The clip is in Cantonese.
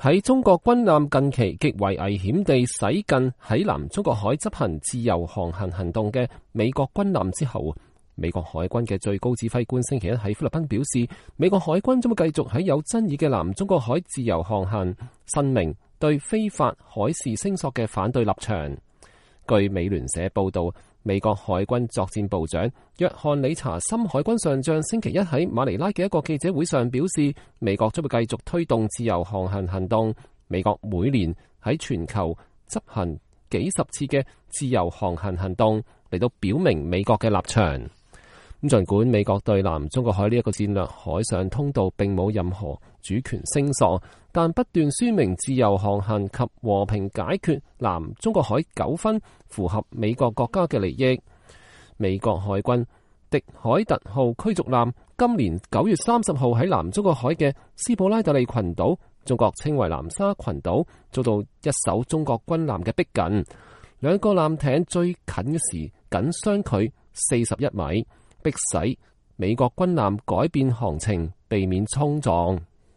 喺中國軍艦近期極為危險地駛近喺南中國海執行自由航行行動嘅美國軍艦之後，美國海軍嘅最高指揮官星期一喺菲律賓表示，美國海軍將會繼續喺有爭議嘅南中國海自由航行，申明對非法海事聲索嘅反對立場。據美聯社報道，美國海軍作戰部長約翰理查森海軍上將星期一喺馬尼拉嘅一個記者會上表示，美國將會繼續推動自由航行行動。美國每年喺全球執行幾十次嘅自由航行行動，嚟到表明美國嘅立場。咁儘管美國對南中國海呢一個戰略海上通道並冇任何主權聲索，但不斷宣明自由航行及和平解決南中國海糾紛符合美國國家嘅利益。美國海軍迪海特號驅逐艦今年9月30號喺南中國海嘅斯普拉特利群島，中國稱為南沙群島，遭到一艘中國軍艦嘅逼近，兩個艦艇最近時僅相距41米，迫使美國軍艦改變航程，避免衝撞。